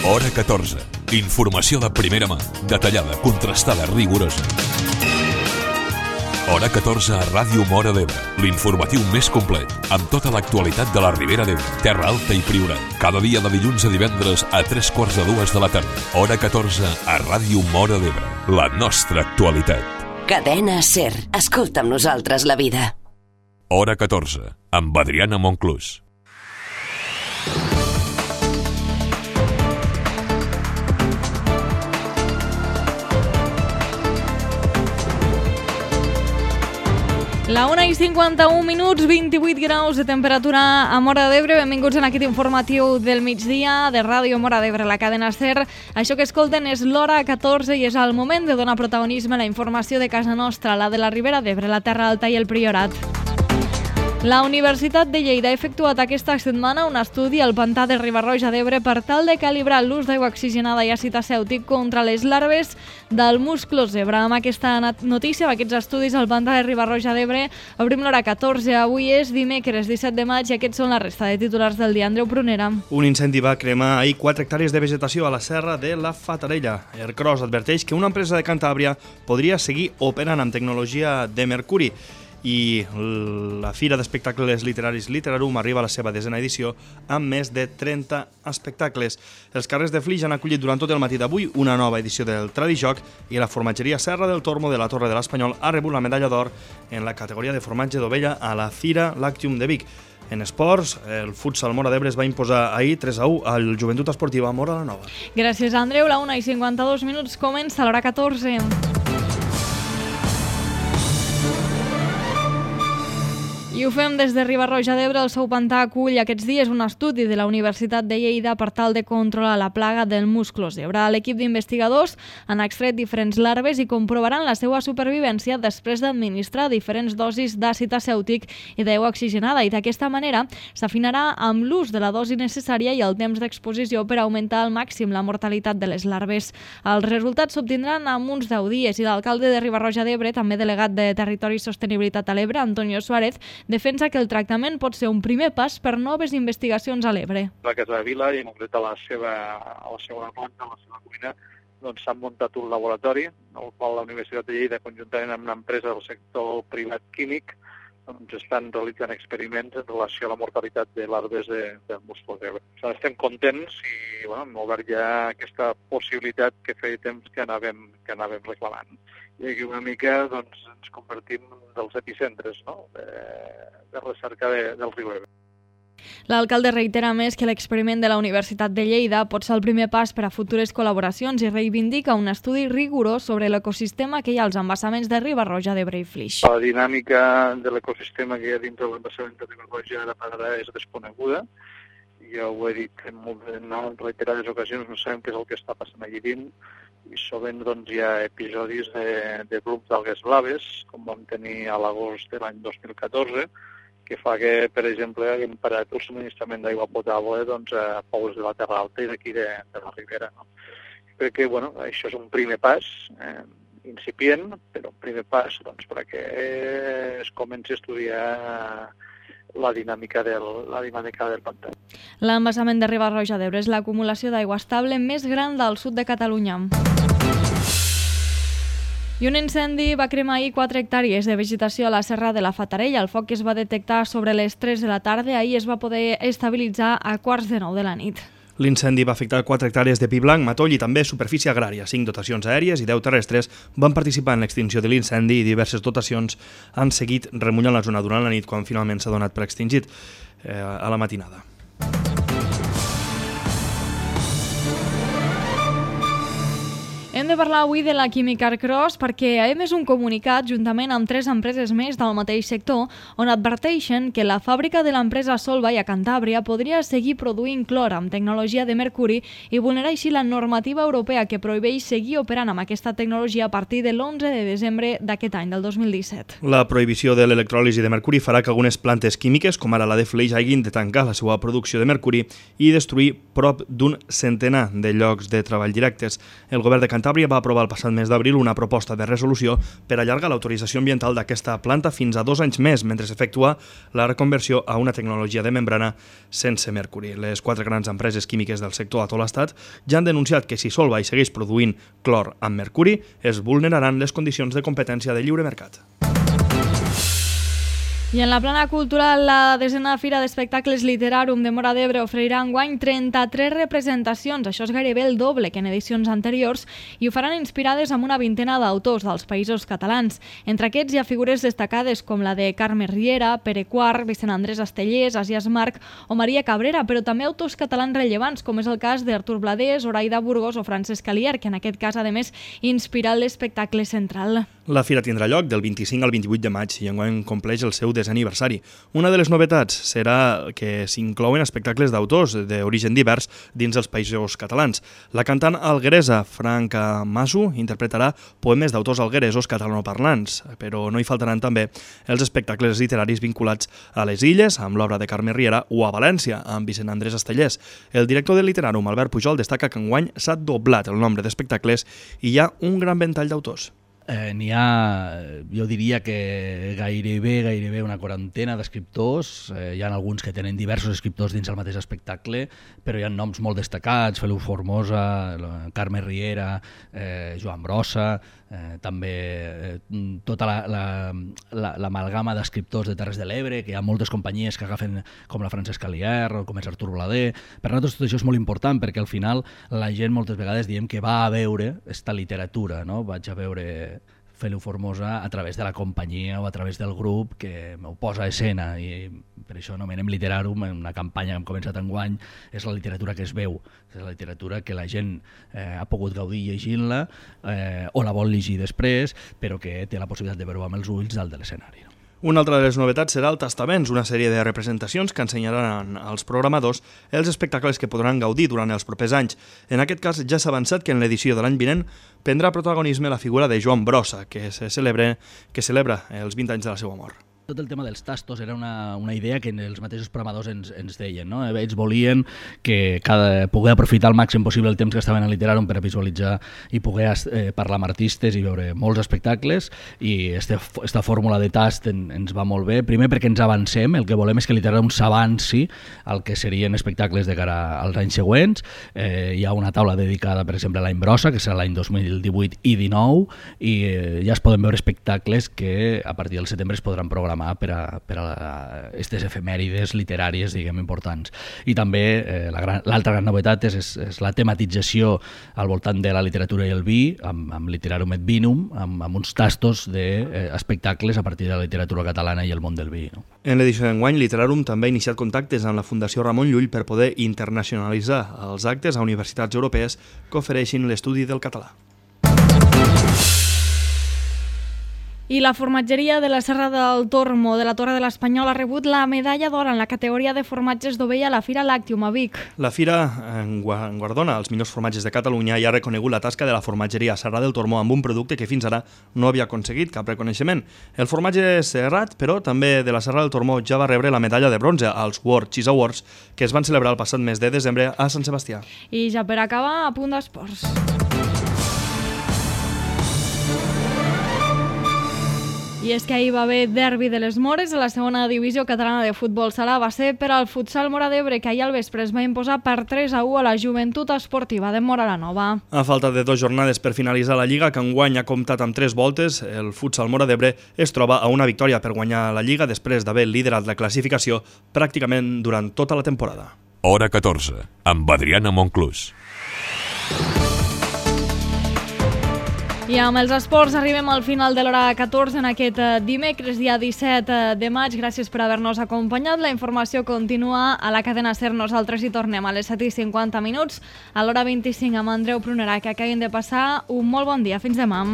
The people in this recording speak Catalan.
Hora 14. Informació de primera mà, detallada, contrastada, rigorosa. Hora 14 a Ràdio Móra d'Ebre, l'informatiu més complet, amb tota l'actualitat de la Ribera d'Ebre, Terra Alta i Priorat. Cada dia de dilluns a divendres a 3:45 de la tarda. Hora 14 a Ràdio Móra d'Ebre, la nostra actualitat. Cadena SER. Escolta amb nosaltres la vida. Hora 14, amb Adriana Monclús. La 1:51, 28 graus de temperatura a Móra d'Ebre. Benvinguts en aquest informatiu del migdia de Ràdio Móra d'Ebre, la cadena SER. Això que escolten és l'Hora 14 i és el moment de donar protagonisme a la informació de casa nostra, la de la Ribera d'Ebre, la Terra Alta i el Priorat. La Universitat de Lleida ha efectuat aquesta setmana un estudi al pantà de Riba-roja d'Ebre per tal de calibrar l'ús d'aigua oxigenada i àcid acèutic contra les larves del musclo zebra. Amb aquesta notícia, amb aquests estudis al pantà de Riba-roja d'Ebre, obrim l'Hora 14. Avui és dimecres 17 de maig i aquests són la resta de titulars del dia. Andreu Prunera. Un incendi va cremar ahir 4 hectàrees de vegetació a la serra de la Fatarella. Ercros adverteix que una empresa de Cantàbria podria seguir operant amb tecnologia de mercuri. I la Fira d'Espectacles Literaris Literarum arriba a la seva 10a edició amb més de 30 espectacles. Els carrers de Flix han acollit durant tot el matí d'avui una nova edició del Tradijoc i la formatgeria Serra del Tormo de la Torre de l'Espanyol ha rebut la medalla d'or en la categoria de formatge d'ovella a la Fira Lactium de Vic. En esports, el futsal Móra d'Ebre es va imposar ahir 3-1 al Joventut Esportiva Móra la Nova. Gràcies, Andreu. La 1:52 comença l'Hora 14. I ho fem des de Riba-roja d'Ebre. El seu pantà acull aquests dies un estudi de la Universitat de Lleida per tal de controlar la plaga del musclo zebra. L'equip d'investigadors han extret diferents larves i comprovaran la seva supervivència després d'administrar diferents dosis d'àcid acèutic i d'aigua oxigenada, i d'aquesta manera s'afinarà amb l'ús de la dosi necessària i el temps d'exposició per augmentar al màxim la mortalitat de les larves. Els resultats s'obtindran en uns 10 dies i l'alcalde de Riba-roja d'Ebre, també delegat de Territori i Sostenibilitat a l'Ebre, Antonio Suárez, defensa que el tractament pot ser un primer pas per noves investigacions a l'Ebre. La Casa de Vila, i en concret a la seva planta, a la seva cuina, doncs s'ha muntat un laboratori, el qual la Universitat de Lleida, conjuntament amb una empresa del sector privat químic, doncs estan realitzant experiments en relació a la mortalitat de larves del musclo zebra. Estem contents i hem obert ja aquesta possibilitat que feia temps que anàvem reclamant. I aquí una mica ens convertim en dels epicentres, no?, de recerca del riu Ebre. L'alcalde reitera més que l'experiment de la Universitat de Lleida pot ser el primer pas per a futures col·laboracions i reivindica un estudi rigorós sobre l'ecosistema que hi ha als embassaments de Riba-roja d'Ebre i Flix. La dinàmica de l'ecosistema que hi ha dintre de l'embassament de Riba-roja de Fatarella és desconeguda. Jo ho he dit en reiterades ocasions, no sabem què és el que està passant allí dins, i sovint hi ha episodis de grups d'algues blaves, com vam tenir a l'agost de l'any 2014, que fa que, per exemple, haguem parat el subministrament d'aigua potable a pobles de la Terra Alta i d'aquí de la Ribera. No? Crec que això és un primer pas, incipient, però un primer pas perquè es comenci a estudiar la dinàmica del pantà. L'embassament de Riba-roja d'Ebre és l'acumulació d'aigua estable més gran del sud de Catalunya. I un incendi va cremar ahir 4 hectàrees de vegetació a la serra de la Fatarella. El foc que es va detectar sobre les 3 de la tarda, ahir es va poder estabilitzar a 8:45 de la nit. L'incendi va afectar 4 hectàrees de pi blanc, matoll i també superfície agrària. 5 dotacions aèries i 10 terrestres van participar en l'extinció de l'incendi i diverses dotacions han seguit remullant la zona durant la nit quan finalment s'ha donat per extingit a la matinada. Hem de parlar avui de la química Ercros perquè ha emès un comunicat juntament amb 3 empreses més del mateix sector on adverteixen que la fàbrica de l'empresa Solvay a Cantàbria podria seguir produint clor amb tecnologia de mercuri i vulnerar així la normativa europea que prohibeix seguir operant amb aquesta tecnologia a partir de l'11 de desembre d'aquest any, del 2017. La prohibició de l'electròlisi de mercuri farà que algunes plantes químiques, com ara la de Flix, hagin de tancar la seva producció de mercuri i destruir prop d'un centenar de llocs de treball directes. El govern de Cantàbria Cantàbria va aprovar el passat mes d'abril una proposta de resolució per allargar l'autorització ambiental d'aquesta planta fins a 2 anys més, mentre s'efectua la reconversió a una tecnologia de membrana sense mercuri. Les 4 grans empreses químiques del sector a tot l'estat ja han denunciat que si Solvay segueix produint clor amb mercuri, es vulneraran les condicions de competència de lliure mercat. I en la plana cultural, la 10a Fira d'Espectacles Literarum de Móra d'Ebre oferirà enguany 33 representacions. Això és gairebé el doble que en edicions anteriors i ho faran inspirades amb una vintena d'autors dels països catalans. Entre aquests hi ha figures destacades com la de Carme Riera, Pere Quart, Vicent Andrés Estellés, Asias Marc o Maria Cabrera, però també autors catalans rellevants, com és el cas d'Artur Bladés, Zoraida Burgos o Francesc Alier, que en aquest cas, a més, inspira l'espectacle central. La fira tindrà lloc del 25 al 28 de maig i enguany compleix el seu 10è aniversari. Una de les novetats serà que s'inclouen espectacles d'autors d'origen divers dins els països catalans. La cantant algueresa Franca Masu interpretarà poemes d'autors algueresos catalanoparlants, però no hi faltaran també els espectacles literaris vinculats a les Illes, amb l'obra de Carme Riera, o a València, amb Vicent Andrés Estellés. El director del Literarum, Albert Pujol, destaca que enguany s'ha doblat el nombre d'espectacles i hi ha un gran ventall d'autors. N'hi ha, jo diria que gairebé una quarantena d'escriptors. Hi ha alguns que tenen diversos escriptors dins el mateix espectacle, però hi ha noms molt destacats: Feliu Formosa, Carme Riera, Joan Brossa, també tota l'amalgama d'escriptors de Terres de l'Ebre, que hi ha moltes companyies que agafen, com la Francesc Alier o com és Artur Bladé. Per nosaltres tot això és molt important, perquè al final la gent moltes vegades diem que va a veure esta literatura, no? Vaig a veure Feliu Formosa a través de la companyia o a través del grup que m'ho posa a escena, i per això anomenem Literarum, una campanya que hem començat enguany. És la literatura que es veu, és la literatura que la gent ha pogut gaudir llegint-la o la vol llegir després, però que té la possibilitat de veure amb els ulls dalt de l'escenari. Una altra de les novetats serà el Tastaments, una sèrie de representacions que ensenyaran als programadors els espectacles que podran gaudir durant els propers anys. En aquest cas ja s'ha avançat que en l'edició de l'any vinent prendrà protagonisme la figura de Joan Brossa, que celebra els 20 anys de la seva mort. Tot el tema dels tastos era una idea que els mateixos programadors ens deien, no? Ells volien que poder aprofitar al màxim possible el temps que estaven a Literarum per a visualitzar i poder parlar amb artistes i veure molts espectacles, i esta fórmula de tast ens va molt bé. Primer perquè ens avancem, el que volem és que Literarum s'avanci al que serien espectacles de cara als anys següents. Hi ha una taula dedicada, per exemple, a l'any Brossa, que serà l'any 2018 i 19, i ja es poden veure espectacles que a partir del setembre es podran programar per a aquestes efemèrides literàries, diguem, importants. I també l'altra gran novetat és la tematització al voltant de la literatura i el vi, amb Literarum et Vinum, amb uns tastos d'espectacles a partir de la literatura catalana i el món del vi. En l'edició d'enguany, Literarum també ha iniciat contactes amb la Fundació Ramon Llull per poder internacionalitzar els actes a universitats europees que ofereixin l'estudi del català. I la formatgeria de la Serra del Tormo de la Torre de l'Espanyol ha rebut la medalla d'or en la categoria de formatges d'ovella a la Fira Làctium a Vic. La Fira guardona els millors formatges de Catalunya i ha reconegut la tasca de la formatgeria Serra del Tormo amb un producte que fins ara no havia aconseguit cap reconeixement. El formatge serrat, però, també de la Serra del Tormo ja va rebre la medalla de bronze als World Cheese Awards, que es van celebrar el passat mes de desembre a Sant Sebastià. I ja per acabar, a punt d'esports. I és que ahir va haver derbi de les Mores a la segona divisió catalana de futbol sala. Va ser per al futsal Móra d'Ebre, que ahir al vespre es va imposar per 3-1 a la Joventut Esportiva de Móra la Nova. A falta de 2 jornades per finalitzar la Lliga, que enguany ha comptat amb 3 voltes, el futsal Móra d'Ebre es troba a una victòria per guanyar la Lliga després d'haver liderat la classificació pràcticament durant tota la temporada. Hora 14, amb Adriana Monclús. I amb els esports arribem al final de l'hora 14 en aquest dimecres, dia 17 de maig. Gràcies per haver-nos acompanyat. La informació continua a la cadena SER. Nosaltres hi tornem a les 7:50. A l'hora 25 amb Andreu Prunera. Que acabin de passar un molt bon dia. Fins demà.